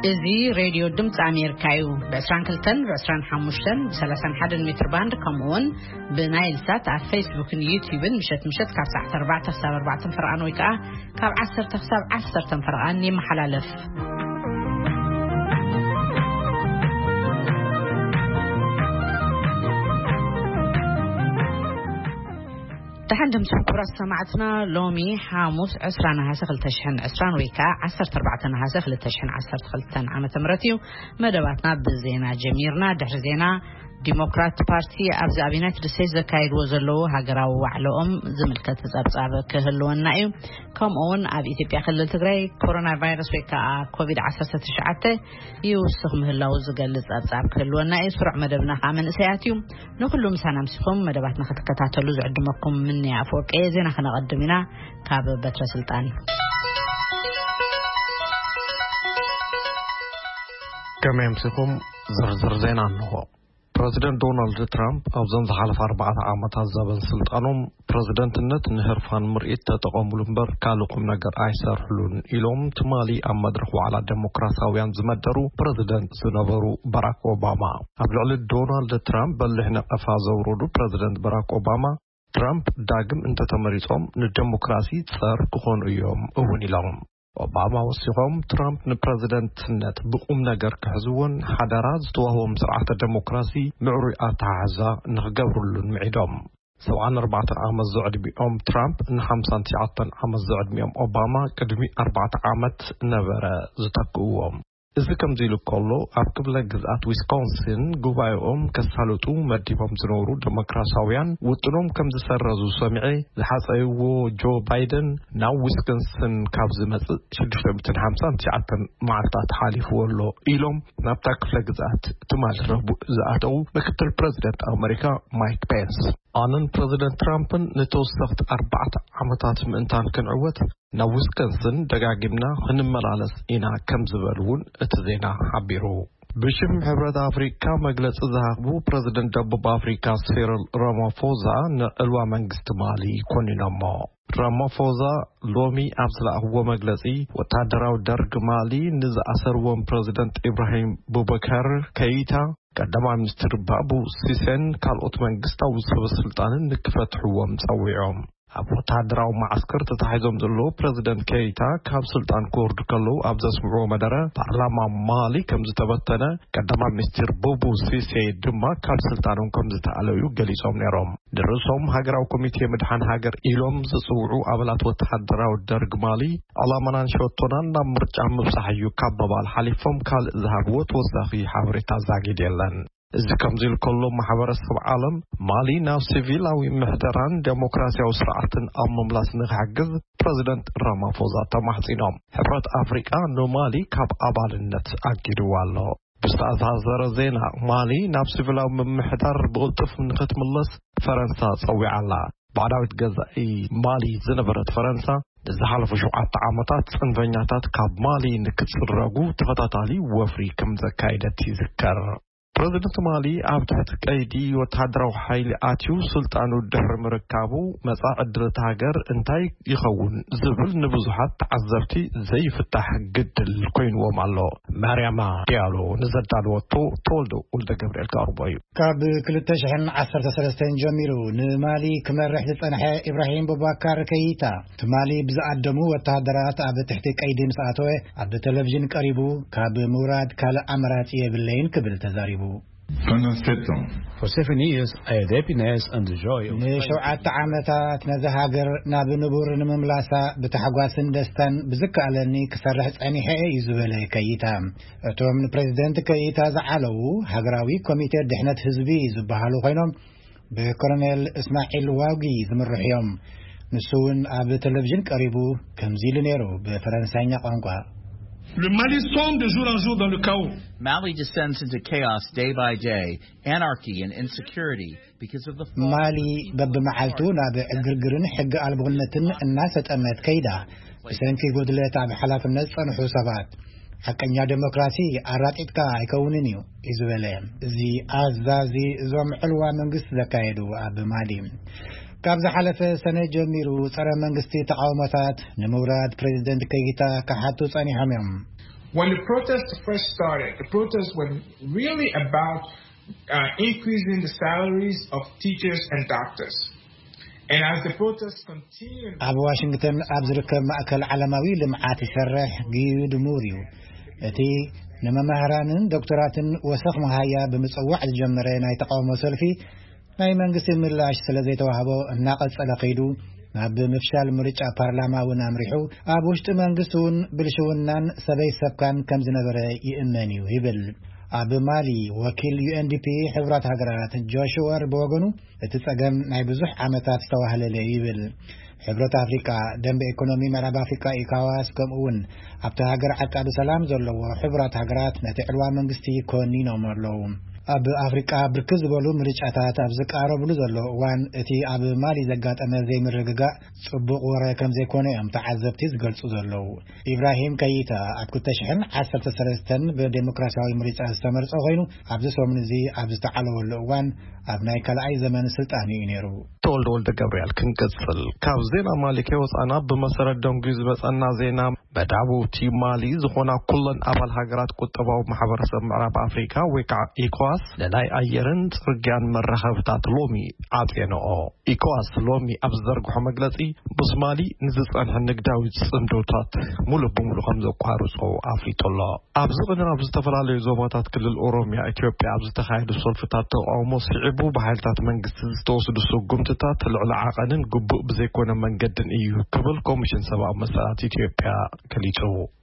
እዚ ሬድዮ ድምፂ ኣሜሪካ እዩ። ብ22፣ ብ25፣ ብ31 ሜትር ባንድ፣ ከምኡውን ብናይል ሳት ኣብ ፌስቡክን ዩቲዩብን ምሸት ምሸት ካብ ሰዓት ኣርባዕተ ክሳብ ኣርባዕተ ፈርቓን ወይ ከዓ ካብ ዓሰርተ ክሳብ ዓሰርተ ፈርቓን ይመሓላለፍ። ደሓን ድምፂ ክቡራት ሰማዕትና፣ ሎሚ ሓሙስ ዕስራ ነሃሰ ክልተ ሽሕን ዕስራን ወይ ከዓ ዓሰርተ ኣርባዕተ ነሃሰ ክልተ ሽሕን ዓሰርተ ክልተን ዓመተ ምህረት እዩ። መደባትና ብዜና ጀሚርና። ድሕሪ ዜና፣ ዲሞክራት ፓርቲ ኣብዚ ኣብ ዩናይትድ ስቴትስ ዘካየድዎ ዘለዉ ሃገራዊ ዋዕለኦም ዝምልከት ጸብጻብ ክህልወና እዩ። ከምኡ እውን ኣብ ኢትዮጵያ ክልል ትግራይ ኮሮና ቫይረስ ወይ ከዓ ኮቪድ ዓሰርተ ትሽዓተ ይውስኽ ምህላዉ ዝገልጽ ጸብጻብ ክህልወና እዩ። ስሩዕ መደብና ከዓ መንእሰያት እዩ። ንኹሉ ምሳና ኣምሲኹም መደባትና ክትከታተሉ ዝዕድመኩም ምንያ ኣፈወርቂ እየ። ዜና ከነቐድም ኢና ካብ በትረ ስልጣን። ከመይ ኣምሲኹም? ዝርዝር ዜና እንሆ። ፕረዚደንት ዶናልድ ትራምፕ ኣብዞም ዝሓለፈ ኣርባዕተ ዓመታት ዘበን ስልጣኖም ፕረዚደንትነት ንህርፋን ምርኢት ተጠቐሙሉ እምበር ካልእ ቁም ነገር ኣይሰርሕሉን ኢሎም ትማሊ ኣብ መድረኽ ዋዕላ ዴሞክራሲያውያን ዝመደሩ ፕረዚደንት ዝነበሩ ባራክ ኦባማ። ኣብ ልዕሊ ዶናልድ ትራምፕ በሊሕ ነቐፋ ዘውረዱ ፕረዚደንት ባራክ ኦባማ፣ ትራምፕ ዳግም እንተተመሪጾም ንዴሞክራሲ ጸር ክኾኑ እዮም እውን ኢሎም። ኦባማ ወሲኾም፣ ትራምፕ ንፕረዚደንትነት ብቁም ነገር ክሕዝዎን ሓደራ ዝተዋህቦም ስርዓተ ዴሞክራሲ ምዕሩይ ኣተሓሕዛ ንኽገብሩሉን ምዒዶም። ሰብዓን ኣርባዕተን ዓመት ዘዕድሚኦም ትራምፕ ንሓምሳን ትሽዓተን ዓመት ዘዕድሚኦም ኦባማ ቅድሚ ኣርባዕተ ዓመት ነበረ ዝተክእዎም። እዚ ከምዚ ኢሉ ከሎ፣ ኣብ ክፍለ ግዝኣት ዊስኮንሲን ጉባኤኦም ከሳልጡ መዲቦም ዝነበሩ ዴሞክራሲያውያን ውጥኖም ከም ዝሰረዙ ሰሚዐ፣ ዝሓጸይዎ ጆ ባይደን ናብ ዊስኮንሲን ካብ ዝመጽእ ሽዱሽተ ሚእትን ሓምሳን ትሽዓተን መዓልታት ሓሊፍዎ ኣሎ ኢሎም ናብታ ክፍለ ግዝኣት ትማሊ ረቡዕ ዝኣተዉ ምክትል ፕረዚደንት ኣመሪካ ማይክ ፔንስ፣ ኣነን ፕረዚደንት ትራምፕን ንተወሰኽቲ ኣርባዕተ ዓመታት ምእንታን ክንዕወት ናብ ዊስኮንሲን ደጋጊምና ክንመላለስ ኢና ከም ዝበሉ እውን እቲ ዜና ሓቢሩ። ብሽም ሕብረት ኣፍሪካ መግለጺ ዝሃቡ ፕረዚደንት ደቡብ ኣፍሪካ ሲሪል ራማፎዛ ንዕልዋ መንግስቲ ማሊ ኮኒኖሞ። ራማፎዛ ሎሚ ኣብ ዝለኣኽዎ መግለጺ፣ ወታደራዊ ደርግ ማሊ ንዝኣሰርዎም ፕረዚደንት ኢብራሂም ቡበከር ከይታ፣ ቀዳማይ ሚኒስትር ባቡ ሲሴን ካልኦት መንግስታዊ ሰበ ስልጣንን ንክፈትሕዎም ጸዊዖም። ኣብ ወታደራዊ መዓስከር ተታሒዞም ዘለዉ ፕረዚደንት ኬይታ ካብ ስልጣን ክወርዱ ከለዉ ኣብ ዘስምዕዎ መደረ፣ ፓርላማ ማሊ ከም ዝተበተነ፣ ቀዳማይ ሚኒስትር ቡቡ ሲሴ ድማ ካብ ስልጣኖም ከም ዝተኣለዩ ገሊጾም ነይሮም። ንርእሶም ሃገራዊ ኮሚቴ ምድሓን ሃገር ኢሎም ዝጽውዑ ኣባላት ወተሃደራዊ ደርግ ማሊ፣ ዕላማናን ሸቶናን ናብ ምርጫ ምብጻሕ እዩ ካብ ምባል ሓሊፎም ካልእ ዝሃብዎ ተወሳኺ ሓበሬታ ዛጊድ የለን። እዚ ከምዚ ኢሉ ከሎ፣ ማሕበረሰብ ዓለም ማሊ ናብ ሲቪላዊ ምሕደራን ዴሞክራሲያዊ ስርዓትን ኣብ ምምላስ ንክሕግዝ ፕረዚደንት ራማፎዛ ተማሕጺኖም። ሕብረት ኣፍሪቃ ንማሊ ካብ ኣባልነት ኣጊድዋ ኣሎ። ብዝተኣሳሰረ ዜና፣ ማሊ ናብ ሲቪላዊ ምምሕዳር ብቕልጡፍ ንኽትምለስ ፈረንሳ ጸዊዓ ኣላ። ባዕዳዊት ገዛኢ ማሊ ዝነበረት ፈረንሳ፣ ንዝሓለፉ ሸውዓተ ዓመታት ጽንፈኛታት ካብ ማሊ ንክጽረጉ ተኸታታሊ ወፍሪ ከም ዘካየደት ይዝከር። ፕረዚደንት ማሊ ኣብ ትሕቲ ቀይዲ ወተሃደራዊ ሓይሊ ኣትዩ ስልጣኑ ድሕሪ ምርካቡ፣ መጻኢ ዕድል እታ ሃገር እንታይ ይኸውን ዝብል ንብዙሓት ተዓዘብቲ ዘይፍታሕ ግድል ኮይንዎም ኣሎ። ማርያማ ዲያሎ ንዘዳለወቶ፣ ተወልደ ወልደ ገብርኤል ከቕርቦ እዩ። ካብ ክልተ ሽሕን ዓሰርተ ሰለስተን ጀሚሩ ንማሊ ክመርሕ ዝጸንሐ ኢብራሂም ቡባካር ከይታ፣ ትማሊ ብዝኣደሙ ወተሃደራት ኣብ ትሕቲ ቀይዲ ምስ ኣተወ፣ ኣብ ቴሌቪዥን ቀሪቡ ካብ ምውራድ ካልእ ኣማራጺ የብለይን ክብል ተዛሪቡ። Pendant sept ans, For seven years, I had happiness and the joy of ንሸውዓተ ዓመታት ነዚ ሃገር ናብ ንቡር ንምምላሳ ብታሕጓስን ደስታን ብዝከኣለኒ ክሰርሕ ጸኒሐ እዩ ዝበለ ከይታ። እቶም ንፕሬዚደንት ከይታ ዝዓለዉ ሃገራዊ ኮሚቴ ድሕነት ህዝቢ ዝበሃሉ ኮይኖም ብኮሎኔል እስማዒል ዋጊ ዝምርሑ እዮም። ንሱ እውን ኣብ ቴሌቪዥን ቀሪቡ ከምዚ ኢሉ ነይሩ ብፈረንሳይኛ ቋንቋ። Le Mali sombre de jour en jour dans le chaos. Mali descends into chaos day by day, anarchy and insecurity because of the fall ማሊ በብመዓልቱ ናብ ዕግርግርን ሕጊ ኣልቦነትን እናሰጠመት ከይዳ፣ ብሰንኪ ጉድለት ኣብ ሓላፍነት ጸንሑ ሰባት። ሓቀኛ ዴሞክራሲ ኣራጢጥካ ኣይከውንን እዩ እዩ ዝበለ እዚ ኣዛዚ እዞም ዕልዋ መንግስቲ ዘካየዱ ኣብ ማሊ። ካብ ዝሓለፈ ሰነ ጀሚሩ ጸረ መንግስቲ ተቃውሞታት ንምውራድ ፕሬዚደንት ከይታ ክሓቱ ጸኒሖም እዮም። When the protests first started, the protests were really about uh, increasing the salaries of teachers and doctors. And as the protests continued, ኣብ ዋሽንግተን ኣብ ዝርከብ ማእከል ዓለማዊ ልምዓት ይሰርሕ ግዩድ ሙር እዩ። እቲ ንመማህራንን ዶክተራትን ወሰኽ መሃያ ብምጽዋዕ ዝጀመረ ናይ ተቃውሞ ሰልፊ ናይ መንግስቲ ምላሽ ስለ ዘይተዋህቦ እናቐጸለ ከይዱ፣ ናብ ምፍሻል ምርጫ ፓርላማ እውን ኣምሪሑ፣ ኣብ ውሽጢ መንግስቲ እውን ብልሽውናን ሰበይ ሰብካን ከም ዝነበረ ይእመን እዩ ይብል። ኣብ ማሊ ወኪል ዩ ኤን ዲ ፒ ሕቡራት ሃገራት ጆሽ ወር ብወገኑ፣ እቲ ጸገም ናይ ብዙሕ ዓመታት ዝተዋህለለ እዩ ይብል። ሕብረት ኣፍሪቃ፣ ደንበ ኢኮኖሚ ምዕራብ ኣፍሪቃ ኢካዋስ፣ ከምኡ እውን ኣብቲ ሃገር ዓቃቢ ሰላም ዘለዎ ሕቡራት ሃገራት ነቲ ዕልዋ መንግስቲ ኮኒኖም ኣለዉ። ኣብ ኣፍሪቃ ብርክት ዝበሉ ምርጫታት ኣብ ዝቃረብሉ ዘሎ እዋን፣ እቲ ኣብ ማሊ ዘጋጠመ ዘይምርግጋእ ጽቡቕ ወረ ከም ዘይኮነ እዮም ተዓዘብቲ ዝገልጹ ዘለዉ። ኢብራሂም ከይታ ኣብ ክልተ ሽሕን ዓሰርተ ሰለስተን ብዴሞክራሲያዊ ምርጫ ዝተመርጸ ኮይኑ፣ ኣብዚ ሰሙን እዚ ኣብ ዝተዓለወሉ እዋን ኣብ ናይ ካልኣይ ዘመን ስልጣን እዩ ነይሩ። ተወልደ ወልደ ገብርኤል ክንቅጽል። ካብ ዜና ማሊ ከይወጻና፣ ብመሰረት ደንጉዩ ዝመጸና ዜና፣ መዳውብቲ ማሊ ዝኾና ኩለን ኣባል ሃገራት ቁጠባዊ ማሕበረሰብ ምዕራብ ኣፍሪካ ወይ ከዓ ኢኮዋስ ንናይ ኣየርን ጽርግያን መራኸብታት ሎሚ ዓጽየንኦ። ኢኮዋስ ሎሚ ኣብ ዝዘርግሖ መግለጺ፣ ምስ ማሊ ንዝጸንሐ ንግዳዊ ጽምዶታት ሙሉእ ብሙሉእ ከም ዘቋርጾ ኣፍሊጡ ኣሎ። ኣብዚ ቅነ ኣብ ዝተፈላለዩ ዞባታት ክልል ኦሮሚያ ኢትዮጵያ ኣብ ዝተኻየዱ ሰልፍታት ተቃውሞ ስዒቡ ብሓይልታት መንግስቲ ዝተወስዱ ስጉምትታት ልዕሊ ዓቐንን ግቡእ ብዘይኮነ መንገድን እዩ ክብል ኮሚሽን ሰብኣዊ መሰላት ኢትዮጵያ ገሊጹ።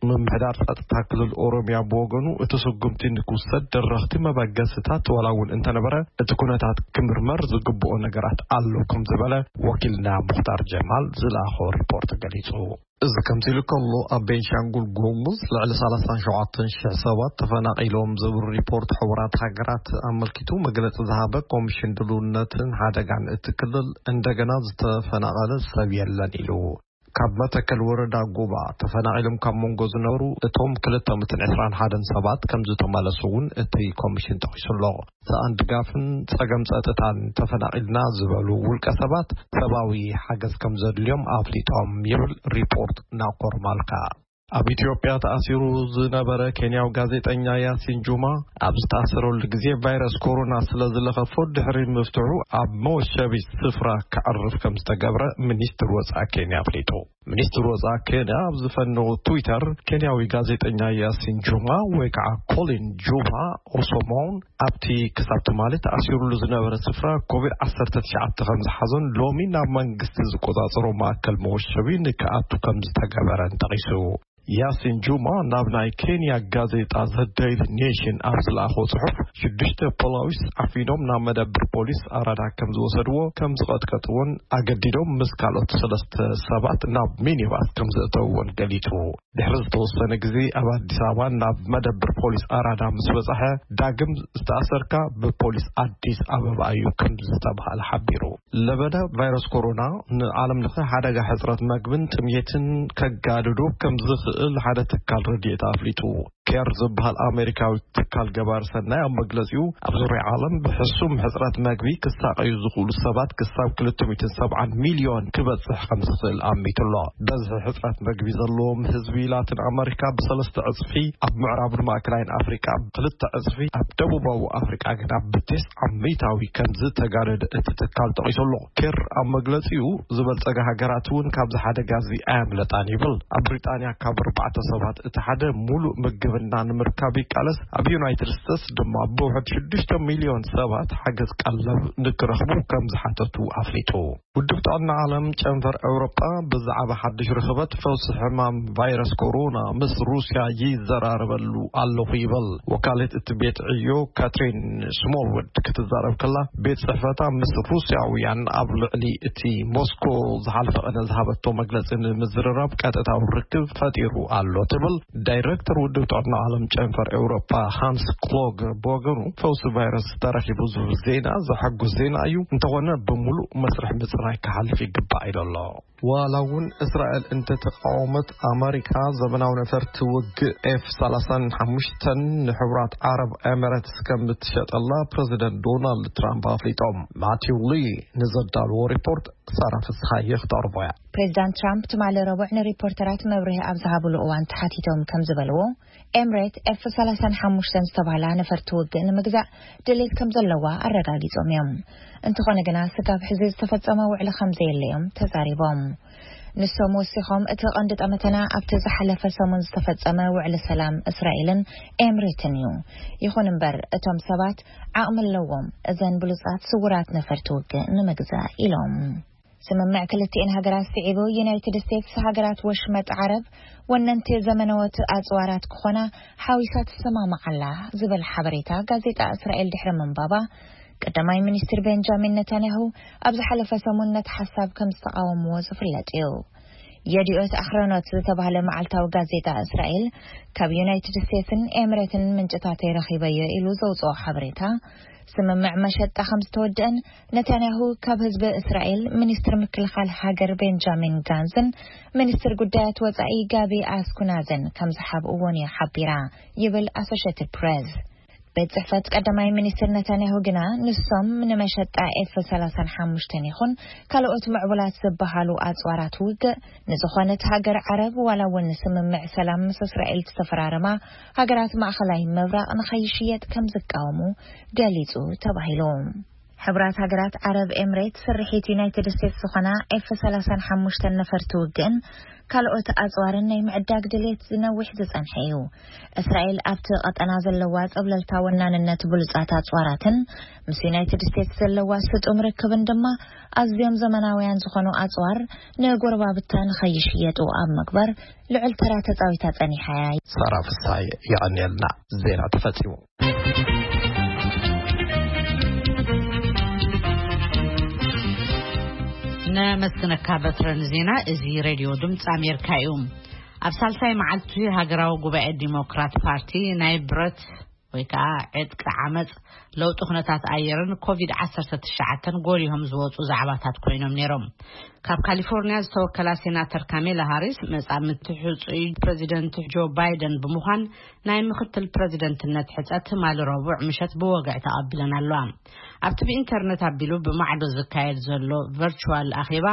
ምምሕዳር ጸጥታ ክልል ኦሮሚያ ብወገኑ እቲ ስጉምቲ ንክውሰድ ደረኽቲ መበገስታት ዋላ እውን እንተነበረ እቲ ኩነታት ክምርመር ዝግብኦ ነገራት ኣሎ ከም ዝበለ ወኪልና ሙኽታር ጀማል ዝለኣኾ ሪፖርት ገሊጹ። እዚ ከምዚ ኢሉ ከሎ ኣብ ቤንሻንጉል ጉሙዝ ልዕሊ ሰላሳን ሸውዓተን ሽሕ ሰባት ተፈናቒሎም ዝብል ሪፖርት ሕቡራት ሃገራት ኣመልኪቱ መግለጺ ዝሃበ ኮሚሽን ድልውነትን ሓደጋን እቲ ክልል እንደገና ዝተፈናቐለ ሰብ የለን ኢሉ። ካብ መተከል ወረዳ ጉባ ተፈናቒሎም ካብ መንጎ ዝነበሩ እቶም ክልተ ሚእትን ዕስራን ሓደን ሰባት ከም ዝተመለሱ እውን እቲ ኮሚሽን ጠቒሱ ኣሎ። ሰኣን ድጋፍን ጸገም ጸጥታን ተፈናቒልና ዝበሉ ውልቀ ሰባት ሰብኣዊ ሓገዝ ከም ዘድልዮም ኣፍሊጦም ይብል ሪፖርት ናኮር ማልካ። ኣብ ኢትዮጵያ ተኣሲሩ ዝነበረ ኬንያዊ ጋዜጠኛ ያሲን ጁማ ኣብ ዝተኣሰረሉ ግዜ ቫይረስ ኮሮና ስለ ዝለኸፎ ድሕሪ ምፍትሑ ኣብ መወሸቢ ስፍራ ከዕርፍ ከም ዝተገብረ ሚኒስትር ወጻኢ ኬንያ ኣፍሊጡ። ሚኒስትር ወጻኢ ኬንያ ኣብ ዝፈነዎ ትዊተር፣ ኬንያዊ ጋዜጠኛ ያሲን ጁማ ወይ ከዓ ኮሊን ጁማ ኦሶሞን ኣብቲ ክሳብ ትማሊ ተኣሲሩሉ ዝነበረ ስፍራ ኮቪድ ዓሰርተ ትሽዓተ ከም ዝሓዞን ሎሚ ናብ መንግስቲ ዝቆጻጸሮ ማእከል መወሸቢ ንክኣቱ ከም ዝተገበረን ጠቒሱ። ያሲን ጁማ ናብ ናይ ኬንያ ጋዜጣ ዘ ዴይሊ ኔሽን ኣብ ዝለኣኾ ጽሑፍ፣ ሽዱሽተ ፖሊስ ዓፊኖም ናብ መደብር ፖሊስ ኣራዳ ከም ዝወሰድዎ፣ ከም ዝቐጥቀጥዎን ኣገዲዶም ምስ ካልኦት ሰለስተ ሰባት ናብ ሚኒባስ ከም ዘእተውዎን ገሊጹ። ድሕሪ ዝተወሰነ ግዜ ኣብ ኣዲስ ኣበባ ናብ መደብር ፖሊስ ኣራዳ ምስ በጻሐ፣ ዳግም ዝተኣሰርካ ብፖሊስ ኣዲስ ኣበባ እዩ ከም ዝተባህለ ሓቢሩ። ለበዳ ቫይረስ ኮሮና ንዓለም ለኸ ሓደጋ ሕጽረት መግብን ጥምየትን ከጋድዶ ከም ዝኽእል ሓደ ትካል ረድኤት ኣፍሊጡ። ኬር ዝበሃል ኣሜሪካዊ ትካል ገባር ሰናይ ኣብ መግለጺኡ፣ ኣብ ዙርያ ዓለም ብሕሱም ሕጽረት መግቢ ክሳቐዩ ዝኽእሉ ሰባት ክሳብ ክልተ ሚእትን ሰብዓን ሚልዮን ክበጽሕ ከም ዝኽእል ኣሚቱ ኣሎ። በዝሒ ሕጽረት መግቢ ዘለዎም ህዝቢ ላቲን ኣሜሪካ ብሰለስተ ዕጽፊ፣ ኣብ ምዕራብን ማእከላይን ኣፍሪቃ ብክልተ ዕጽፊ፣ ኣብ ደቡባዊ ኣፍሪቃ ግና ብቴስዓ ሚእታዊ ከም ዝተጋደደ እቲ ትካል ጠቒሱ ኣሎ። ኬር ኣብ መግለጺኡ፣ ዝበልጸጋ ሃገራት እውን ካብዚ ሓደጋ እዚ ኣየምለጣን ይብል። ኣብ ብሪጣንያ ካብ ኣርባዕተ ሰባት እቲ ሓደ ሙሉእ ምግብና ንምርካብ ይቃለስ። ኣብ ዩናይትድ ስቴትስ ድማ ብውሕድ ሽዱሽተ ሚልዮን ሰባት ሓገዝ ቀለብ ንክረኽቡ ከም ዝሓተቱ ኣፍሊጡ። ውድብ ጥዕና ዓለም ጨንፈር ኤውሮጳ ብዛዕባ ሓድሽ ርኽበት ፈውሲ ሕማም ቫይረስ ኮሮና ምስ ሩስያ ይዘራረበሉ ኣለኹ ይበል። ወካሊት እቲ ቤት ዕዮ ካትሪን ስሞልውድ ክትዛረብ ከላ፣ ቤት ጽሕፈታ ምስ ሩስያውያን ኣብ ልዕሊ እቲ ሞስኮ ዝሓልፈ ቅነ ዝሃበቶ መግለጺ ንምዝርራብ ቀጥታዊ ርክብ ፈጢሩ ኣሎ ትብል። ዳይሬክተር ውድብ ጥዕና ዓለም ጨንፈር ኤውሮጳ ሃንስ ክሎገር ብወገኑ፣ ፈውሲ ቫይረስ ተረኺቡ ዝብል ዜና ዘሐጉስ ዜና እዩ፣ እንተኾነ ብምሉእ መስርሕ ምጽራይ ክሓልፍ ይግባእ ኢሉ ኣሎ። ዋላ እውን እስራኤል እንተተቃወመት፣ ኣመሪካ ዘመናዊ ነፈርቲ ውግእ ኤፍ ሰላሳን ሓሙሽተን ንሕቡራት ዓረብ ኤሚሬትስ ከም እትሸጠላ ፕረዚደንት ዶናልድ ትራምፕ ኣፍሊጦም። ማቲው ሊ ንዘዳልዎ ሪፖርት ሳራ ፍስሃየ ክተቕርቦ እያ። ፕሬዚዳንት ትራምፕ ትማሊ ረቡዕ ንሪፖርተራት መብርሂ ኣብ ዝሃብሉ እዋን ተሓቲቶም ከም ዝበልዎ፣ ኤምሬት ኤፍ ሰላሳን ሓሙሽተን ዝተባህላ ነፈርቲ ውግእ ንምግዛእ ድሌት ከም ዘለዋ ኣረጋጊጾም እዮም። እንተኾነ ግና ስጋብ ሕዚ ዝተፈጸመ ውዕሊ ከም ዘየለ እዮም ተዛሪቦም። ንሶም ወሲኾም፣ እቲ ቀንዲ ጠመተና ኣብቲ ዝሓለፈ ሰሙን ዝተፈጸመ ውዕሊ ሰላም እስራኤልን ኤምሬትን እዩ። ይኹን እምበር፣ እቶም ሰባት ዓቕሚ ኣለዎም እዘን ብሉጻት ስውራት ነፈርቲ ውግእ ንምግዛእ ኢሎም። ስምምዕ ክልቲኤን ሃገራት ስዒቡ፣ ዩናይትድ ስቴትስ ሃገራት ወሽመጥ ዓረብ ወነንቲ ዘመነዎት ኣጽዋራት ክኾና ሓዊሳ ትሰማማዓላ ዝብል ሓበሬታ ጋዜጣ እስራኤል ድሕሪ ምንባባ፣ ቀዳማይ ሚኒስትር ቤንጃሚን ነታንያሁ ኣብ ዝሓለፈ ሰሙን ነቲ ሓሳብ ከም ዝተቃወምዎ ዝፍለጥ እዩ። የዲኦት ኣኽረኖት ዝተባህለ መዓልታዊ ጋዜጣ እስራኤል ካብ ዩናይትድ ስቴትስን ኤምሬትን ምንጭታተይ ረኺበዮ ኢሉ ዘውፅኦ ሓበሬታ፣ ስምምዕ መሸጣ ከም ዝተወደአን ነታንያሁ ካብ ህዝቢ እስራኤል ሚኒስትር ምክልኻል ሃገር ቤንጃሚን ጋንዝን ሚኒስትር ጉዳያት ወጻኢ ጋቢ ኣስኩናዘን ከም ዝሓብእዎን እያ ሓቢራ ይብል ኣሶሽየትድ ፕሬስ። ቤት ጽሕፈት ቀዳማይ ሚኒስትር ነታንያሁ ግና ንሶም ንመሸጣ ኤፍ ሰላሳን ሓሙሽተን ይኹን ካልኦት ምዕቡላት ዝበሃሉ ኣጽዋራት ውግእ ንዝኾነት ሃገር ዓረብ ዋላ እውን ስምምዕ ሰላም ምስ እስራኤል ዝተፈራረማ ሃገራት ማእኸላይ ምብራቕ ንኸይሽየጥ ከም ዝቃወሙ ገሊጹ ተባሂሉ። ሕብራት ሃገራት ዓረብ ኤምሬት ስርሒት ዩናይትድ ስቴትስ ዝኾና ኤፍ ሰላሳን ሓሙሽተን ነፈርቲ ውግእን ካልኦት ኣጽዋርን ናይ ምዕዳግ ድሌት ዝነዊሕ ዝጸንሐ እዩ። እስራኤል ኣብቲ ቀጠና ዘለዋ ጸብለልታ ወናንነት ብሉጻት ኣጽዋራትን ምስ ዩናይትድ ስቴትስ ዘለዋ ስጡም ርክብን ድማ ኣዝዮም ዘመናውያን ዝኾኑ ኣጽዋር ንጎረባብታ ንኸይሽየጡ ኣብ ምግባር ልዑል ተራ ተጻዊታ ጸኒሓ እያ። ሳራ ፍሳይ የቐንየልና። ዜና ተፈጺሙ። ነመስግነካ በትረን ዜና። እዚ ሬድዮ ድምፂ ኣሜሪካ እዩ። ኣብ ሳልሳይ መዓልቲ ሃገራዊ ጉባኤ ዲሞክራት ፓርቲ ናይ ብረት ወይ ከዓ ዕጥቂ ዓመፅ፣ ለውጢ ኩነታት ኣየርን ኮቪድ ዓሰርተ ትሽዓተን ጎሊሆም ዝወፁ ዛዕባታት ኮይኖም ነይሮም። ካብ ካሊፎርኒያ ዝተወከላ ሴናተር ካሜላ ሃሪስ መጻምድቲ ሕጹይ ፕሬዚደንት ጆ ባይደን ብምዃን ናይ ምክትል ፕሬዚደንትነት ሕጸት ትማሊ ረቡዕ ምሸት ብወግዒ ተቐቢለን ኣለዋ። ኣብቲ ብኢንተርነት ኣቢሉ ብማዕዶ ዝካየድ ዘሎ ቨርቹዋል ኣኼባ፣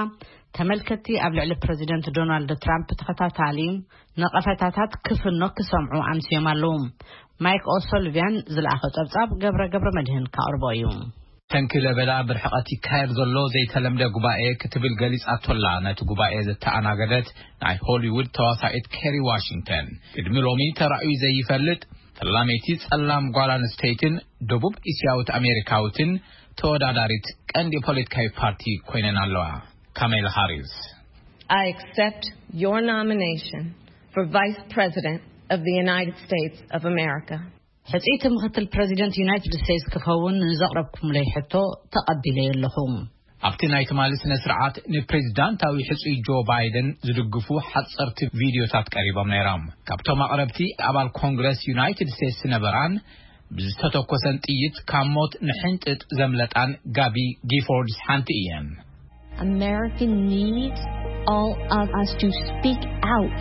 ተመልከትቲ ኣብ ልዕሊ ፕሬዚደንት ዶናልድ ትራምፕ ተኸታታሊ ነቐፈታታት ክፍኖ ክሰምዑ ኣምስዮም ኣለዉ። ማይክ ኦሶልቪያን ዝለኣኸ ጸብጻብ ገብረ ገብረ መድህን ካቕርቦ እዩ። ተንኪ ለበዳ ብርሕቐት ይካየድ ዘሎ ዘይተለምደ ጉባኤ ክትብል ገሊጻቶላ። ነቲ ጉባኤ ዘተኣናገደት ናይ ሆሊውድ ተዋሳኢት ኬሪ ዋሽንግተን፣ ቅድሚ ሎሚ ተራእዩ ዘይፈልጥ ፈላመይቲ ጸላም ጓል ኣንስተይትን ደቡብ እስያዊት ኣሜሪካዊትን ተወዳዳሪት ቀንዲ ፖለቲካዊ ፓርቲ ኮይነን ኣለዋ። ካሜላ ሃሪስ። I accept your nomination for Vice President of the United States of America. ሕጽይቲ ምክትል ፕሬዚደንት ዩናይትድ ስቴትስ ክኸውን ንዘቕረብኩምለይ ሕቶ ተቐቢለዮ ኣለኹ። ኣብቲ ናይ ትማሊ ስነ ስርዓት ንፕሬዚዳንታዊ ሕጹይ ጆ ባይደን ዝድግፉ ሓጸርቲ ቪድዮታት ቀሪቦም ነይሮም። ካብቶም ኣቕረብቲ ኣባል ኮንግረስ ዩናይትድ ስቴትስ ዝነበራን ብዝተተኮሰን ጥይት ካብ ሞት ንሕንጥጥ ዘምለጣን ጋቢ ጊፎርድስ ሓንቲ እየን። America needs all of us to speak out.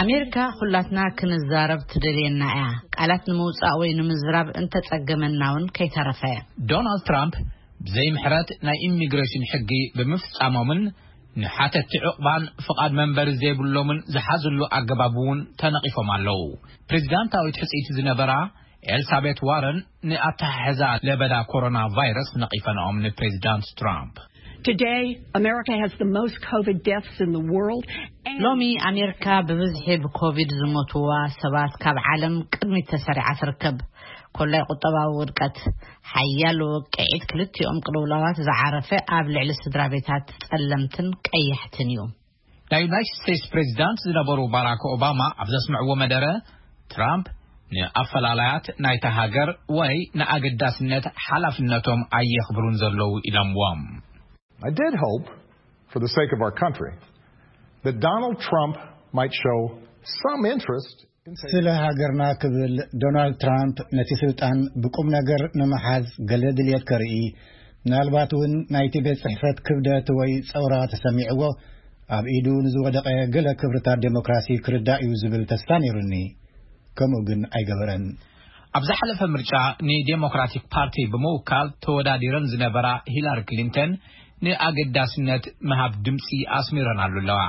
ኣሜሪካ ኩላትና ክንዛረብ ትደልየና እያ፣ ቃላት ንምውጻእ ወይ ንምዝራብ እንተጸገመና እውን ከይተረፈ። ዶናልድ ትራምፕ ብዘይ ምሕረት ናይ ኢሚግሬሽን ሕጊ ብምፍጻሞምን ንሓተቲ ዕቑባን ፍቓድ መንበሪ ዘይብሎምን ዝሓዝሉ ኣገባብ እውን ተነቒፎም ኣለዉ። ፕሬዚዳንታዊት ሕጽይቲ ዝነበራ ኤልሳቤት ዋረን ንኣተሓሕዛ ለበዳ ኮሮና ቫይረስ ነቒፈንኦም ንፕሬዚዳንት ትራምፕ። Today, America has the most COVID deaths in the world. And ሎሚ ኣሜሪካ ብብዝሒ ብኮቪድ ዝሞትዋ ሰባት ካብ ዓለም ቅድሚት ተሰሪዓ ትርከብ። ኮላይ ቁጠባዊ ውድቀት፣ ሓያል ውቅዒት ክልቲኦም ቅልውላዋት ዝዓረፈ ኣብ ልዕሊ ስድራ ቤታት ጸለምትን ቀያሕትን እዩ። ናይ ዩናይትድ ስቴትስ ፕሬዚዳንት ዝነበሩ ባራክ ኦባማ ኣብ ዘስምዕዎ መደረ፣ ትራምፕ ንኣፈላላያት ናይታ ሃገር ወይ ንኣገዳስነት ሓላፍነቶም ኣየኽብሩን ዘለዉ ኢሎምዎም። I did hope, for the sake of our country, that Donald Trump might show some interest in taking ስለ ሃገርና ክብል ዶናልድ ትራምፕ ነቲ ስልጣን ብቁም ነገር ንምሓዝ ገለ ድልየት ከርኢ፣ ምናልባት እውን ናይቲ ቤት ጽሕፈት ክብደት ወይ ጸውራ ተሰሚዕዎ ኣብ ኢዱ ንዝወደቐ ገለ ክብርታት ዴሞክራሲ ክርዳእ እዩ ዝብል ተስፋ ነይሩኒ። ከምኡ ግን ኣይገበረን። ኣብ ዝሓለፈ ምርጫ ንዴሞክራቲክ ፓርቲ ብምውካል ተወዳዲረን ዝነበራ ሂላሪ ክሊንተን ንኣገዳስነት ምሃብ ድምጺ ኣስሚረናሉ ኣለዋ።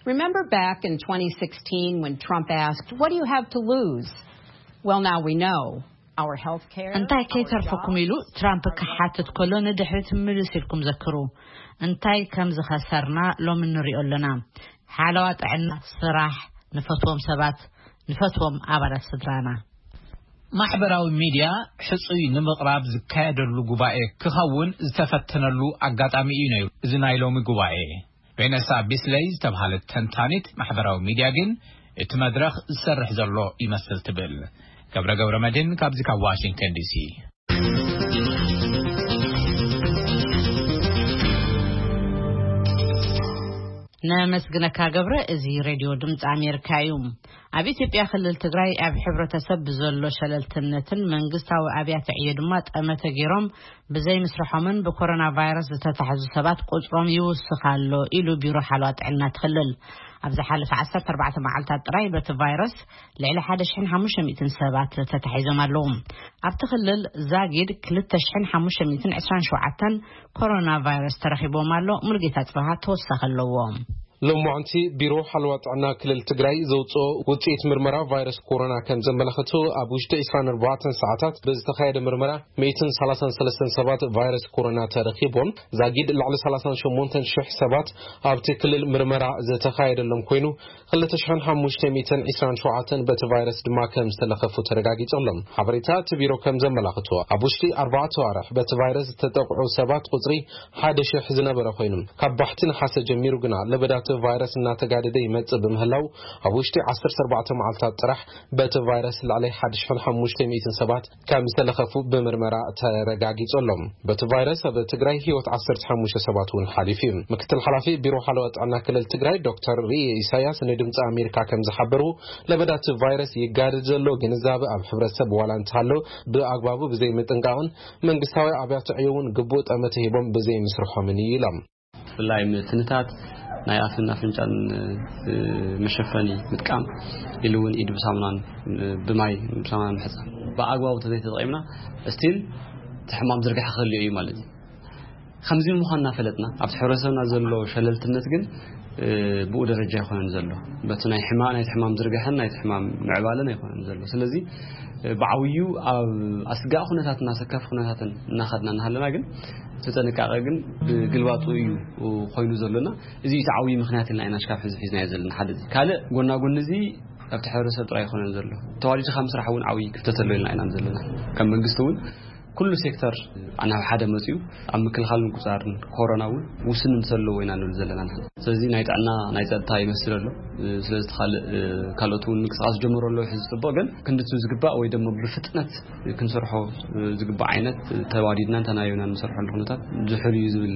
Remember back in twenty sixteen when Trump asked, "What do you have to lose?" Well, now we know our health care. እንታይ ከይተርፈኩም ኢሉ ትራምፕ ክሓትት ከሎ ንድሕሪት ምልስ ኢልኩም ዘክሩ። እንታይ ከም ዝኸሰርና ሎሚ ንሪኦ ኣለና። ሓለዋ ጥዕና፣ ስራሕ፣ ንፈትዎም ሰባት፣ ንፈትዎም ኣባላት ስድራና። ማሕበራዊ ሚድያ ሕጹይ ንምቕራብ ዝካየደሉ ጉባኤ ክኸውን ዝተፈተነሉ ኣጋጣሚ እዩ ነይሩ እዚ ናይ ሎሚ ጉባኤ። ቬነሳ ቢስለይ ዝተባህለት ተንታኒት ማሕበራዊ ሚድያ ግን እቲ መድረኽ ዝሰርሕ ዘሎ ይመስል ትብል። ገብረ ገብረ መድህን ካብዚ ካብ ዋሽንግተን ዲሲ። ነመስግነካ ገብረ። እዚ ሬድዮ ድምፂ ኣሜሪካ እዩ። ኣብ ኢትዮጵያ ክልል ትግራይ ኣብ ሕብረተሰብ ብዘሎ ሸለልትነትን መንግስታዊ ኣብያተ ዕዮ ድማ ጠመተ ገይሮም ብዘይ ምስርሖምን ብኮሮና ቫይረስ ዝተታሕዙ ሰባት ቁፅሮም ይውስኽ ኣሎ ኢሉ ቢሮ ሓለዋ ጥዕና ትኽልል። ኣብ ዝሓለፈ ዓሰርተ ኣርባዕተ መዓልታት ጥራይ በቲ ቫይረስ ልዕሊ ሓደ ሽሕን ሓሙሽተ ሚእትን ሰባት ተታሒዞም ኣለዉ። ኣብቲ ክልል ዛጊድ ክልተ ሽሕን ሓሙሽተ ሚእትን ዕስራን ሸውዓተን ኮሮና ቫይረስ ተረኺቦም ኣሎ። ሙልጌታ ጽባሃ ተወሳኺ ኣለዎ። ሎማዕንቲ ቢሮ ሓለዋ ጥዕና ክልል ትግራይ ዘውፅኦ ውፅኢት ምርመራ ቫይረስ ኮሮና ከም ዘመላኽቱ፣ ኣብ ውሽጢ ዕስራን ኣርባዕተን ሰዓታት ብዝተኻየደ ምርመራ ሚእትን ሰላሳን ሰለስተን ሰባት ቫይረስ ኮሮና ተረኺቦም፣ ዛጊድ ልዕሊ ሰላሳን ሸሞንተን ሽሕ ሰባት ኣብቲ ክልል ምርመራ ዝተኻየደሎም ኮይኑ፣ ክልተ ሽሕን ሓሙሽተ ሚእትን ዕስራን ሸውዓተን በቲ ቫይረስ ድማ ከም ዝተለኸፉ ተረጋጊጹ ኣሎ። ሓበሬታ እቲ ቢሮ ከም ዘመላኽቶ፣ ኣብ ውሽጢ ኣርባዕተ ኣዋርሕ በቲ ቫይረስ ዝተጠቕዑ ሰባት ቁጽሪ ሓደ ሽሕ ዝነበረ ኮይኑ፣ ካብ ባሕቲ ነሓሰ ጀሚሩ ግና ለበዳቲ ቫይረስ እናተጋደደ ይመጽእ ብምህላው፣ ኣብ ውሽጢ ዓሰርተ ኣርባዕተ መዓልታት ጥራሕ በቲ ቫይረስ ልዕሊ ሓደ ሽሕን ሓሙሽተ ሚእትን ሰባት ከም ዝተለኸፉ ብምርመራ ተረጋጊጹ ኣሎ። በቲ ቫይረስ ኣብ ትግራይ ህይወት ዓሰርተ ሓሙሽተ ሰባት እውን ሓሊፉ እዩ። ምክትል ሓላፊ ቢሮ ሓለዋ ጥዕና ክልል ትግራይ ዶክተር ርኤ ኢሳያስ ንድምፂ ኣሜሪካ ከም ዝሓበሩ፣ ለበዳቲ ቫይረስ ይጋደድ ዘሎ ግንዛበ ኣብ ሕብረተሰብ ዋላ እንተሃሎ፣ ብኣግባቡ ብዘይምጥንቃቕን መንግስታዊ ኣብያተ ዕዮ እውን ግቡእ ጠመተ ሂቦም ብዘይምስርሖምን እዩ ኢሎም። ብፍላይ ምትንታት፣ ናይ ኣፍን ኣፍንጫን፣ እ፣ መሸፈኒ ምጥቃም፣ ኢሉ እውን ኢድ ብሳሙናን፣ እ፣ ብማይ ብሳሙናን ምሕፃብ። ብኣግባቡ ተዘይተጠቒምና፣ እስቲል እቲ ሕማም ዝርግሐ ክህልዮ እዩ ማለት እዩ። ከምዚ ምዃን እናፈለጥና፣ ኣብቲ ሕብረተሰብና ዘሎ ሸለልትነት ግን፣ እ፣ ብኡ ደረጃ ኣይኮነን ዘሎ። በቲ ናይ ሕማ-፣ ናይቲ ሕማም ዝርግሐን ናይቲ ሕማም ምዕባለን ኣይኮነን ዘሎ። ስለዚ፣ እ፣ ብዓብዩ ኣብ ኣስጋኢ ኩነታትን ኣሰካፊ ኩነታትን እናኸድና እናሃለና ግን፣ እቲ ጥንቃቐ ግን ብግልባጡ እዩ ኮይኑ ዘሎና። እዚ እዩ እቲ ዓብዪ ምኽንያት ኢልና ኢና ሽካብ ሕዚ ሒዝናዮ ዘለና። ሓደ እዚ። ካልእ፣ ጎና ጎኒ እዚ ኣብቲ ሕብረተሰብ ጥራይ ኣይኮነን ዘሎ። ተዋዲድካ ምስራሕ እውን ዓብዪ ክፍተት ኣሎ ኢልና ኢና ዘለና። ከም መንግስቲ እውን ኩሉ ሴክተር ናብ ሓደ መፂኡ ኣብ ምክልኻልን ምቁፃርን ኮሮና እውን ውስንነት ዘለዎ ኢና ንብል ዘለና። ስለዚ ናይ ጥዕና፣ ናይ ፀጥታ ይመስል ኣሎ። ስለዚ እቲ ካልእ፣ ካልኦት እውን ምንቅስቃስ ጀመሩ ኣለዉ። ሕዚ ፅቡቕ፣ ግን ክንድቲ ዝግባእ ወይ ደሞ ብፍጥነት ክንሰርሖ ዝግባእ ዓይነት ተዋዲድና እንተናዮና ንሰርሖሉ ኩነታት ዝሑል እዩ ዝብል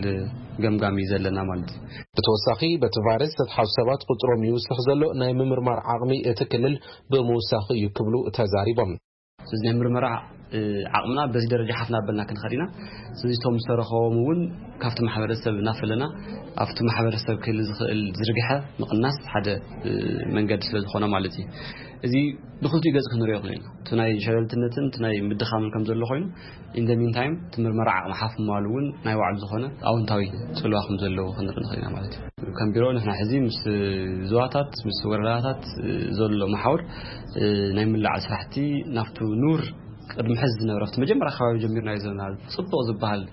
ገምጋም እዩ ዘለና ማለት እዩ። ብተወሳኺ፣ በቲ ቫይረስ ዝተትሓዙ ሰባት ቁፅሮም ይውስኽ ዘሎ ናይ ምምርማር ዓቕሚ እቲ ክልል ብምውሳኹ እዩ ክብሉ ተዛሪቦም። ስለዚ ናይ ምርመራ፣ እ፣ ዓቕምና በዚ ደረጃ ሓፍ እናበልና ክንኸድ ኢና። ስለዚ እቶም ዝተረኸቦም እውን ካብቲ ማሕበረሰብ እናፈለና ኣብቲ ማሕበረሰብ ክህሊ ዝኽእል ዝርግሐ ምቕናስ ሓደ፣ እ፣ መንገዲ ስለ ዝኾነ ማለት እዩ። እዚ ብኽልቲኡ ገጽ ክንሪኦ ይኽእል ኢና። እቲ ናይ ሸለልትነትን እቲ ናይ ምድኻምን ከም ዘሎ ኮይኑ፣ in the meantime እቲ ምርመራ ዓቕሚ ሓፍ ምባሉ እውን ናይ ባዕሉ ዝኾነ ኣወንታዊ ጽልዋ ከም ዘለዎ ክንርኢ ንኽእል ኢና ማለት እዩ። ከም ቢሮ ንሕና ሕዚ ምስ ዞባታት፣ ምስ ወረዳታት ዘሎ መሓውር፣ እ፣ ናይ ምላዕ ስራሕቲ ናብቲ ኑር ቅድሚ ሕዚ ዝነበረ ኣብቲ መጀመርያ ከባቢ ጀሚርናዮ ዘለና ጽቡቕ ዝበሃል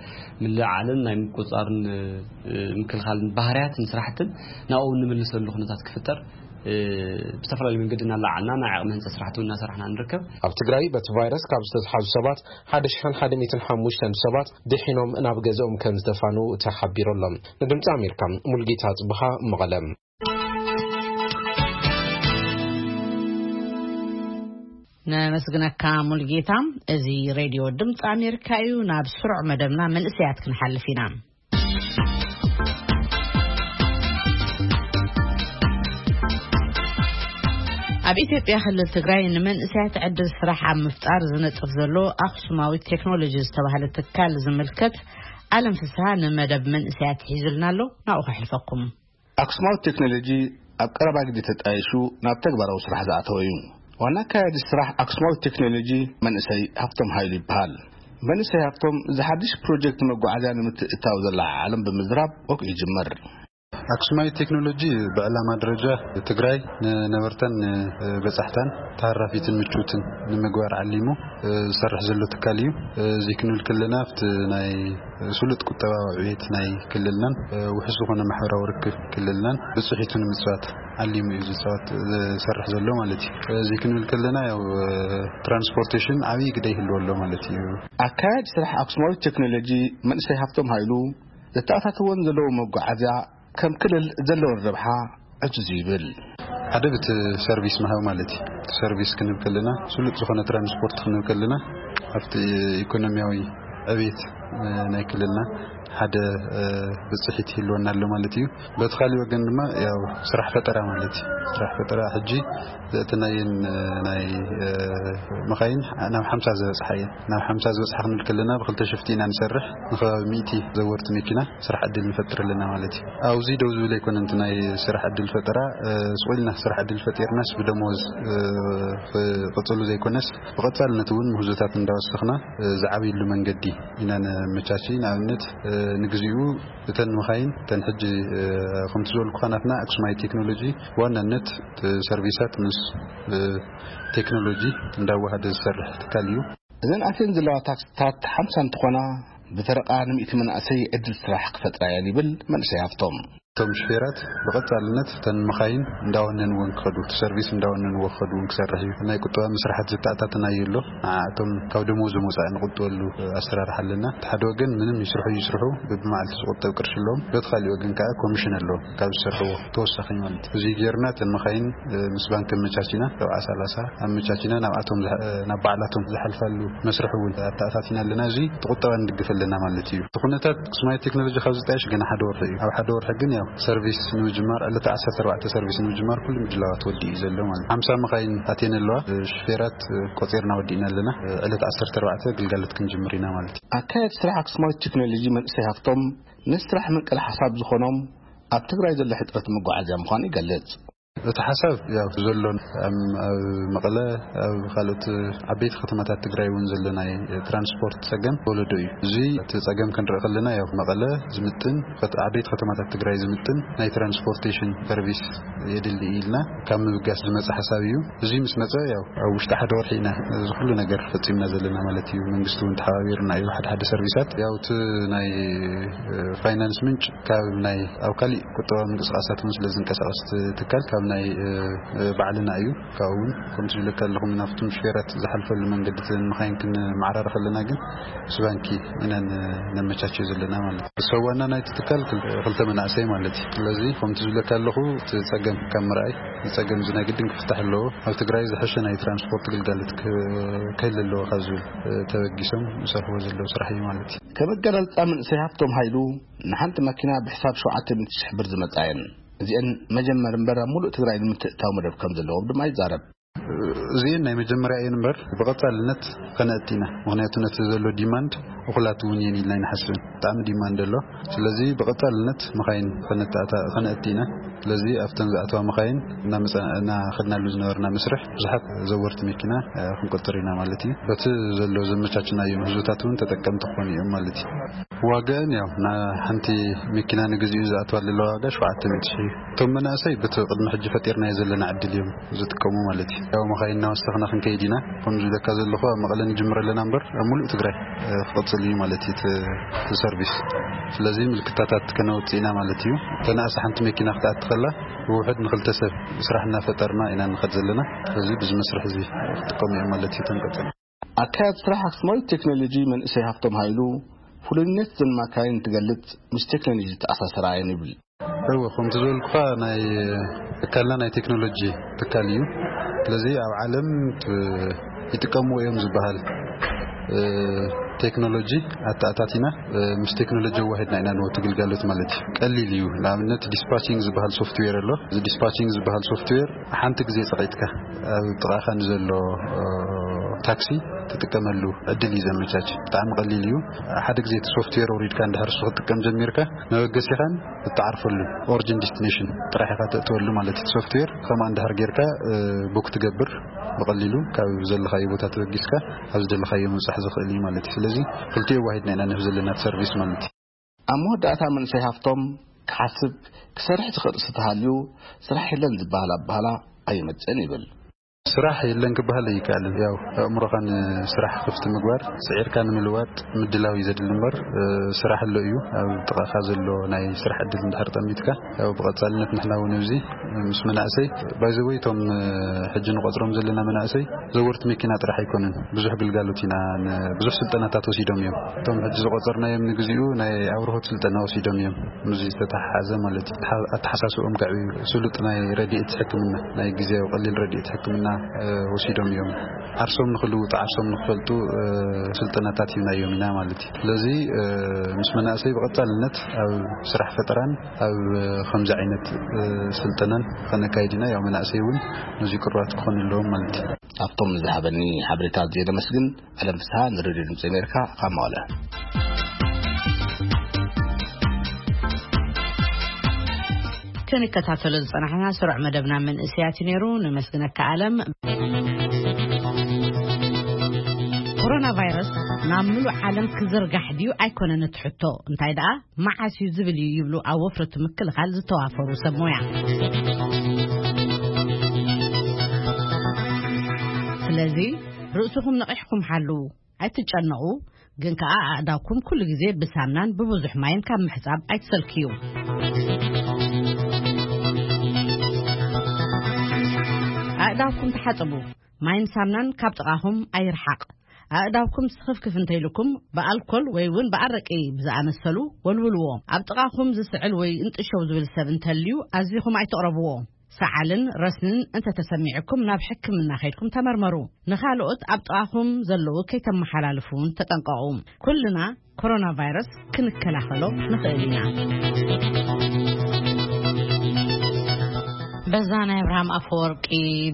ምልዕዓልን ናይ ምቁጽጻርን፣ እ፣ ምክልኻልን ባህርያትን ስራሕትን ናብኡ እንምልሰሉ ኩነታት ክፍጠር፣ እ፣ ብዝተፈላለዩ መንገዲ እናለዓልና ናይ ዓቕሚ ህንጸት ስራሕቲ እውን እናሰራሕና ንርከብ። ኣብ ትግራይ በቲ ቫይረስ ካብ ዝተትሓዙ ሰባት ሓደ ሽሕን ሓደ ሚእትን ሓሙሽተን ሰባት ድሒኖም ናብ ገዝኦም ከም ዝተፋኑ ተሓቢሩ ኣሎ። ንድምፂ ኣሜሪካ ሙልጌታ ጽብሃ መቐለ። ነመስግነካ ሙልጌታ። እዚ ሬድዮ ድምፂ ኣሜሪካ እዩ። ናብ ስሩዕ መደብና መንእሰያት ክንሓልፍ ኢና። ኣብ ኢትዮጵያ ክልል ትግራይ ንመንእሰያት ዕድል ስራሕ ኣብ ምፍጣር ዝነጥፍ ዘሎ ኣክሱማዊት ቴክኖሎጂ ዝተባህለ ትካል ዝምልከት ኣለም ፍስሃ ንመደብ መንእሰያት ሒዙልና ኣሎ። ናብኡ ከሕልፈኩም። ኣክሱማዊት ቴክኖሎጂ ኣብ ቀረባ ግዜ ተጣይሹ ናብ ተግባራዊ ስራሕ ዝኣተወ እዩ። ዋና ኣካያዲ ስራሕ ኣክሱማዊት ቴክኖሎጂ መንእሰይ ሃፍቶም ሃይሉ ይበሃል። መንእሰይ ሃፍቶም እዚ ሓድሽ ፕሮጀክት መጓዓዝያ ንምትእትታው ዘለዓዓሎም ብምዝራብ ወግዒ ይጅምር። ኣክሱማይት ቴክኖሎጂ ብዕላማ ደረጃ ትግራይ ንነበርታን ንበጻሕታን ተሃራፊትን ምቹትን ንምግባር ዓሊሙ ዝሰርሕ ዘሎ ትካል እዩ። እዚ ክንብል ከለና ኣብቲ ናይ ስሉጥ ቁጠባዊ ዕቤት ናይ ክልልናን ውሕስ ዝኾነ ማሕበራዊ ርክብ ክልልናን ብጽሒቱ ንምጽዋት ዓሊሙ እዩ ዝጻወት ዝሰርሕ ዘሎ ማለት እዩ። እዚ ክንብል ከለና ያው ትራንስፖርቴሽን ዓብዪ ግደ ይህልዎ ኣሎ ማለት እዩ። ኣካያዲ ስራሕ ኣክሱማዊት ቴክኖሎጂ መንእሰይ ሃፍቶም ሃይሉ፣ ዘተኣታተወን ዘለዉ መጓዓዝያ ከም ክልል ዘለወን ረብሓ ዕዙዝ እዩ ይብል። ሓደ ብቲ ሰርቪስ ምሃብ ማለት እዩ። እቲ ሰርቪስ ክንብል ከለና ስሉጥ ዝኾነ ትራንስፖርት ክንብል ከለና ኣብቲ ኢኮኖሚያዊ ዕቤት ናይ ክልልና ሓደ ብፅሒት ይህልወና ኣሎ ማለት እዩ። በቲ ካሊእ ወገን ድማ ያው ስራሕ ፈጠራ ማለት እዩ። ስራሕ ፈጠራ ሕጂ ዘእተናየን ናይ መኻይን ናብ ሓምሳ ዝበፅሓ እየን። ናብ ሓምሳ ዝበፅሓ ክንብል ከለና ብክልተ ሽፍቲ ኢና ንሰርሕ። ንከባቢ ሚእቲ ዘወርቲ መኪና ስራሕ ዕድል ንፈጥር ኣለና ማለት እዩ። ኣብዚ ደው ዝብል ኣይኮነን። እቲ ናይ ስራሕ ዕድል ፈጠራ ስቑልና ስራሕ ዕድል ፈጢርናስ ብደሞዝ ክቕፅሉ ዘይኮነስ ብቐፃልነት እውን ምህዞታት እንዳወሰኽና ዝዓብይሉ መንገዲ ኢና ነመቻች። ንኣብነት ንግዚኡ እተን መኻይን እተን ሕጂ ከምቲ ዝበልኩኻ ናትና ኣክሱማይ ቴክኖሎጂ ብዋናነት ሰርቪሳት ምስ ቴክኖሎጂ እንዳዋሃደ ዝሰርሕ ትካል እዩ። እዘን ኣትየን ዘለዋ ታክሲታት ሓምሳ እንትኾና ብፈረቓ ንሚእቲ መናእሰይ ዕድል ስራሕ ክፈጥራ እየን ይብል መንእሰይ ሃፍቶም። እቶም ሽፌራት ብቐፃልነት እተን መኻይን እንዳወነንወን ክኸዱ እቲ ሰርቪስ እንዳወነንዎ ክኸዱ እውን ክሰርሕ እዩ። ናይ ቁጠባ መስራሓት ዘተኣታተናዮ ኣሎ። ንዓኣቶም ካብ ደሞዞም ወፃኢ ንቁጥበሉ ኣሰራርሓ ኣለና። እቲ ሓደ ወገን ምንም ይስርሑ ይስርሑ ብብመዓልቲ ዝቁጠብ ቅርሺ ኣለዎም። በቲ ካሊእ ወገን ከዓ ኮሚሽን ኣለዎም ካብ ዝሰርሕዎ ተወሳኺ ማለት እዩ። እዚ ጌርና እተን መኻይን ምስ ባንክ ኣመቻቺና ሰብዓ ሰላሳ ኣመቻቺና ናብኣቶም ዝሓ- ናብ ባዕላቶም ዝሓልፋሉ መስርሕ እውን ኣተኣታቲና ኣለና። እዚ ቁጠባ ንድግፍ ኣለና ማለት እዩ። እቲ ኩነታት ኣክሱማይት ቴክኖሎጂ ካብ ዝጣየሽ ገና ሓደ ወርሒ እዩ። ኣብ ሓደ ወርሒ ግን ያው ሰርቪስ ንምጅማር ዕለተ ዓሰርተ ኣርባዕተ ሰርቪስ ንምጅማር ኩሉ ምድላዋት ወዲኡ እዩ ዘሎ ማለት እዩ። ሓምሳ መኻይን ኣትየን ኣለዋ። ሽፌራት ቆፂርና ወዲእና ኣለና። ዕለት ዓሰርተ ኣርባዕተ ግልጋሎት ክንጅምር ኢና ማለት እዩ። ኣካየድ ስራሕ ኣክሱማዊት ቴክኖሎጂ መንእሰይ ሃፍቶም ንስራሕ ምንቅል ሓሳብ ዝኾኖም ኣብ ትግራይ ዘሎ ሕፅረት መጓዓዝያ ምዃኑ ይገልጽ። እቲ ሓሳብ ያው ዘሎ ኣብ ኣብ መቐለ ኣብ ካልኦት ዓበይቲ ከተማታት ትግራይ እውን ዘሎ ናይ ትራንስፖርት ፀገም ወለዶ እዩ። እዚ እቲ ፀገም ክንርኢ ከለና ያው መቐለ ዝምጥን ከት- ዓበይቲ ከተማታት ትግራይ ዝምጥን ናይ ትራንስፖርቴሽን ሰርቪስ የድሊ ኢልና ካብ ምብጋስ ዝመፀ ሓሳብ እዩ። እዚ ምስ መፀ ያው ኣብ ውሽጢ ሓደ ወርሒ ኢና እዚ ኩሉ ነገር ፈፂምና ዘለና ማለት እዩ። መንግስቲ እውን ተሓባቢሩና እዩ። ሓደ ሓደ ሰርቪሳት ያው እቲ ናይ ፋይናንስ ምንጭ ካብ ናይ ኣብ ካሊእ ቁጠባዊ ምንቅስቃሳት እውን ስለ ዝንቀሳቀስ እቲ ትካል ካብ ናይ ባዕልና እዩ። ካብኡ እውን ከምቲ ዝብለካ ኣለኹም ናብቶም ሽፌራት ዝሓልፈሉ መንገዲ መኻይን ክንመዓራረ ከለና ግን ምስ ባንኪ ኢና ነመቻቸው ዘለና ማለት እዩ። ሰብ ዋና ናይቲ ትካል ክልተ መናእሰይ ማለት እዩ። ስለዚ ከምቲ ዝብለካ ኣለኹ እቲ ፀገም ካብ ምርኣይ እዚ ፀገም እዚ ናይ ግድን ክፍታሕ ኣለዎ። ኣብ ትግራይ ዝሐሸ ናይ ትራንስፖርት ግልጋሎት ክህል ኣለዎ ካብ ዝብል ተበጊሶም ዝሰርሕዎ ዘለዉ ስራሕ እዩ ማለት እዩ። ከም ኣገላልፃ መንእሰይ ሃፍቶም ሃይሉ ንሓንቲ መኪና ብሕሳብ ሸውዓተ ሚእቲ ሽሕ ብር ዝመፃ እየን። እዚአን መጀመር እምበር ኣብ ሙሉእ ትግራይ ንምትእታው መደብ ከም ዘለዎም ድማ ይዛረብ። እዚአን ናይ መጀመርያ እየን እምበር ብቐፃልነት ከነእቲ ኢና። ምክንያቱ ነቲ ዘሎ ዲማንድ እኹላት እውን እየን ኢልና ኣይንሓስብን። ብጣዕሚ ዲማንድ ኣሎ። ስለዚ ብቐፃልነት መኻይን ከነእቲ ኢና። ስለዚ ኣብተን ዝኣተዋ መኻይን እናኸድናሉ ዝነበርና መስርሕ ብዙሓት ዘወርቲ መኪና ክንቆጥር ኢና ማለት እዩ። በቲ ዘሎ ዘመቻችናዮ ምህዞታት እውን ተጠቀምቲ ክኾኑ እዮም ማለት እዩ። ዋጋን ያው ሓንቲ መኪና ንግዚኡ ዝኣትዋ ዘለዋ ዋጋ ሸውዓተ ሚእቲ ሺሕ እዩ። እቶም መናእሰይ በቲ ቅድሚ ሕጂ ፈጢርናዮ ዘለና ዕድል እዮም ዝጥቀሙ ማለት እዩ። ያው መኻይን እናወሰኽና ክንከይድ ኢና። ከም ዝብለካ ዘለኹ ኣብ መቐለ ንጅምር ኣለና እምበር ኣብ ሙሉእ ትግራይ ክቕፅል እዩ ማለት እዩ እቲ ሰርቪስ። ስለዚ ምልክታታት ከነውፅእ ኢና ማለት እዩ። ተናእሳ ሓንቲ መኪና ክትኣቲ ከላ ብውሕድ ንክልተ ሰብ ስራሕ እናፈጠርና ኢና ንኸድ ዘለና። ስለዚ ብዚ መስርሕ እዚ ክጥቀሙ እዮም ማለት እዩ ተንቀፅል። ኣካያት ስራሕ ኣክስማዊት ቴክኖሎጂ መንእሰይ ሃፍቶም ሃይሉ ፍሉይነት ዘን ማካይን ትገልጽ ምስ ቴክኖሎጂ ዝተኣሳሰራ እየን ይብል። እወ ከምቲ ዝበልኩኻ ናይ ትካልና ናይ ቴክኖሎጂ ትካል እዩ። ስለዚ ኣብ ዓለም ይጥቀምዎ እዮም ዝበሃል ቴክኖሎጂ ኣተኣታቲና ምስ ቴክኖሎጂ ኣዋሂድና ኢና ንወቲ ግልጋሎት ማለት እዩ። ቀሊል እዩ። ንኣብነት ዲስፓቺንግ ዝበሃል ሶፍትዌር ኣሎ። እዚ ዲስፓቺንግ ዝበሃል ሶፍትዌር ሓንቲ ግዜ ፀቒጥካ ኣብ ጥቓኻ ንዘሎ ታክሲ ትጥቀመሉ ዕድል እዩ ዘመቻች። ብጣዕሚ ቀሊል እዩ። ሓደ ግዜ እቲ ሶፍትዌር ወሪድካ እንድሕር እሱ ክትጥቀም ጀሚርካ መበገሲኻን እትዓርፈሉ ኦሪጂን ዲስቲኔሽን ጥራሕ ኢኻ ተእትወሉ ማለት እዩ። ሶፍትዌር ከምኣ እንድሕር ጌርካ ቡክ ትገብር ብቐሊሉ ካብ ዘለኻዮ ቦታ ተበጊስካ ኣብ ዝደለኻዮ ምብፃሕ ዝኽእል እዩ ማለት እዩ። ስለዚ ክልቲኡ ኣዋሂድና ኢና ንህብ ዘለና ሰርቪስ ማለት እዩ። ኣብ መወዳእታ መንእሰይ ሃፍቶም ክሓስብ፣ ክሰርሕ ዝኽእል ርእሲ ተሃልዩ፣ ስራሕ የለን ዝበሃል ኣበሃላ ኣይመጽእን ይብል። ስራሕ የለን ክበሃል ኣይከኣልን። ያው ኣእምሮኻን ስራሕ ክፍቲ ምግባር፣ ስዒርካ ንምልዋጥ ምድላው እዩ ዘድሊ እምበር፣ እ፣ ስራሕ ኣሎ እዩ። ኣብ ጥቓኻ ዘሎ ናይ ስራሕ ዕድል እንድሕር ጠሚትካ፣ ያው ብቐጻልነት ንሕና እውን እዚ ምስ መናእሰይ፣ ባይ ዘ ወይ፣ እቶም፣ እ፣ ሕጂ ንቆጽሮም ዘለና መናእሰይ ዘወርቲ መኪና ጥራሕ ኣይኮኑን። ብዙሕ ግልጋሎት ኢና ን-፣ ብዙሕ ስልጠናታት ወሲዶም እዮም። እቶም ሕጂ ዝቆጸርናዮም ንግዚኡ ናይ ኣብርሆት ስልጠና ወሲዶም እዮም። ምስዚ ዝተተሓሓዘ ማለት እዩ። ኣተሓ-፣ ኣተሓሳስብኦም ከዕብዩ፣ ስሉጥ ናይ ረድኤት ሕክምና፣ ናይ ግዜያዊ ቀሊል ረድኤት ሕክምና፣ እ፣ ወሲዶም እዮም። ዓርሶም ንኽልውጡ፣ ዓርሶም ንኽፈልጡ፣ እ፣ ስልጠናታት ሂብናዮም ኢና ማለት እዩ። ስለዚ፣ እ፣ ምስ መናእሰይ ብቐጻልነት ኣብ ስራሕ ፈጠራን ኣብ ከምዚ ዓይነት፣ እ፣ ስልጠናን ከነካይድ ኢና። ያው መናእሰይ እውን ነዚ ቅሩባት ክኾኑ ኣለዎም ማለት እዩ። ኣብቶም ዝሃበኒ ሓበሬታ ኣዝየ ዘመስግን። ኣለም ፍስሃ፣ ንሬድዮ ድምፂ ኣሜሪካ፣ ካብ መቐለ። ክንከታተሎ ዝጸናሕና ስሩዕ መደብና መንእሰያት እዩ ነይሩ። ነመስግነካ ኣለም። ኮሮና ቫይረስ ናብ ምሉእ ዓለም ክዝርጋሕ ድዩ ኣይኮነን እቲ ሕቶ፣ እንታይ ደኣ መዓስ እዩ ዝብል እዩ ይብሉ ኣብ ወፍረቱ ምክልኻል ዝተዋፈሩ ሰብ ሞያ። ስለዚ ርእስኹም ነቒሕኩም ሓልዉ፣ ኣይትጨነቑ፣ ግን ከኣ ኣእዳውኩም ኩሉ ግዜ ብሳምናን ብብዙሕ ማይን ካብ ምሕጻብ ኣይትሰልክዩ። ኣእዳውኩም ተሓጽቡ፣ ማይን ሳምናን ካብ ጥቓኹም ኣይርሓቕ። ኣእዳውኩም ስኽፍክፍ እንተኢልኩም ብኣልኮል ወይ እውን ብኣረቂ ብዝኣመሰሉ ወልውልዎ። ኣብ ጥቓኹም ዝስዕል ወይ እንጥሸው ዝብል ሰብ እንተልዩ ኣዚኹም ኣይትቕረብዎ። ሰዓልን ረስንን እንተተሰሚዕኩም ናብ ሕክምና ከይድኩም ተመርመሩ። ንኻልኦት ኣብ ጥቓኹም ዘለዉ ከይተመሓላልፉ እውን ተጠንቀቑ። ኩልና ኮሮና ቫይረስ ክንከላኸሎ ንኽእል ኢና። በዛ ናይ ኣብርሃም ኣፈወርቂ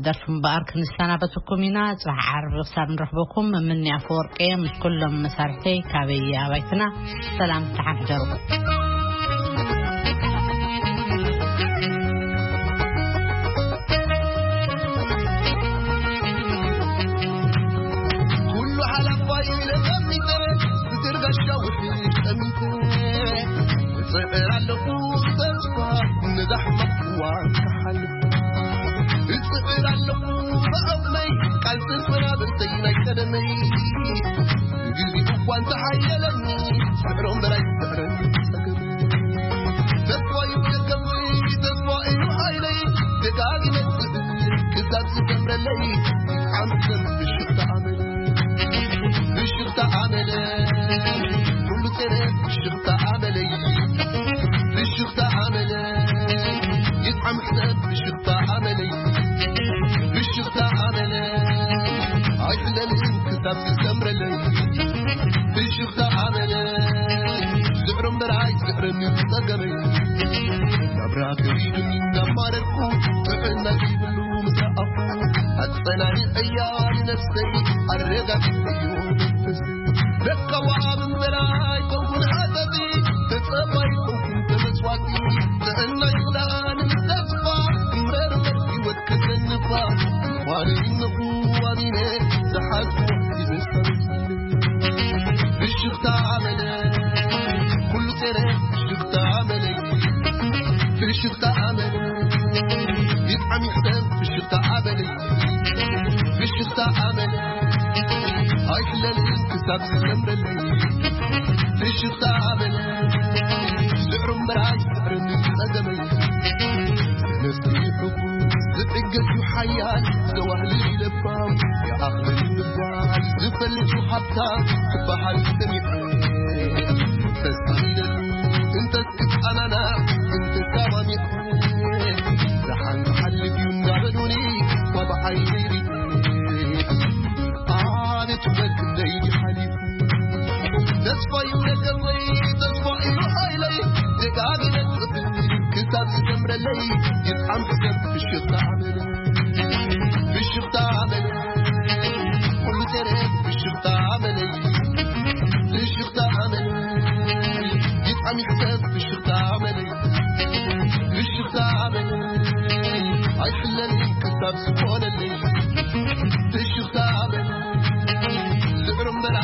ደርፊ እምበኣር ክንሰናበተኩም ኢና። ጽባሕ ዓርቢ ክሳብ ንረኽበኩም፣ ምኒ ኣፈወርቂ ምስ ኩሎም መሳርሕተይ ካበይ ኣባይትና ሰላም ተሓሕደሩ። ኩሉ ሓላፋይ ኢለ ጠሚተ፣ ብትርጋሻ ውሒድ ጠሚተ፣ እጽዕር ኣለኹ ብተስፋ ነዛ ሕማቕ እዋን ክሓልፍ። እጽዕር ኣለኹ ብዓቕመይ፣ ቃል ተሰናብተይ ናይ ቀደመይ። ግዜ እኳ እንተሓየለኒ፣ ስዕሮም በላይ ስዕረኒ ጸገመይ። ተስፋ እዩ ደገመይ፣ ተስፋ እዩ ሓይለይ፣ ደጋጊመ ክዛብ ዝሰምረለይ፣ ዓመት ብሽኽታ ኣመለይ። ብሽኽታ ኣመለይ፣ ኩሉ ጸረ ብሽኽታ ኣመለይ። ብሽኽታ ኣመለይ፣ ይጥዓም ሕሰብ ብሽኽታ ኣመለይ። ብሽኽታ ኣመለይ፣ ኣይሕለልን ክሳብ ዝሰምረለይ። ብሽኽታ ኣመለይ፣ ዝዕሮ እምበር ኣይዝዕርን ጸገመይ። ናብራ ከቢዱኒ እናማረርኩ፣ ጥዕና ዘይብሉ ምስ ረኣኹ፣ ኣጸናኒዐያ ንነፍሰይ ኣረጋጊጸዮ መንፈሰይ። ደካዋ እምበር ኣይኮንኩን ሓጸጺ፣ ተጸባይ ኣይኮንኩን ተመጽዋቲ። ጥዕና ይኽልኣኒ ምስ ተስፋ፣ እምበር ህይወት ከሰንፋ። ኳነ ኢነኹ ኣሚነ ዝሓዝኩ ይመስል። ብሽኽታ ኣመለ፣ ኩሉ ጸረ ብሽኽታ ኣመለ፣ ብሽኽታ ኣመለ፣ ይጥዓም ይሕሰብ ብሽኽታ ኣመለ፣ ብሽኽታ ኣመለ፣ ኣይሕለልን ክሳብ ዝሰምረለይ። ብሽኽታ ኣመለ፣ ስዕሩ እምበር ኣይስዕርን ጸገመይ። ነፍሲ ሕጉስ ዝዕገስ እዩ ሓያል፣ ዘዋህልል ለባም ይኣኽል ምባል ዝፈልጥ እዩ ሃብታም ክበሃል ሰሚዐ። ተስኢለሉ እንተስ ክጸናናዕ እንተሰማሚዐ፣ ደሓን ክሓልፍ እዩ እናበሉኒ ዋላ ዓይነይ ሪኤ። ኣቤት ውበት ክንደይ ሓሊፉ። ተስፋ እዩ ደገፈይ፣ ተስፋ እዩ ሓይለይ፣ ደጋጊመ ክጽበ ክሳብ ዝሰምረለይ፣ ይጥዓም ክሰብ ብሽኽታ ኣመለ፣ ብሽኽታ ኣመለ።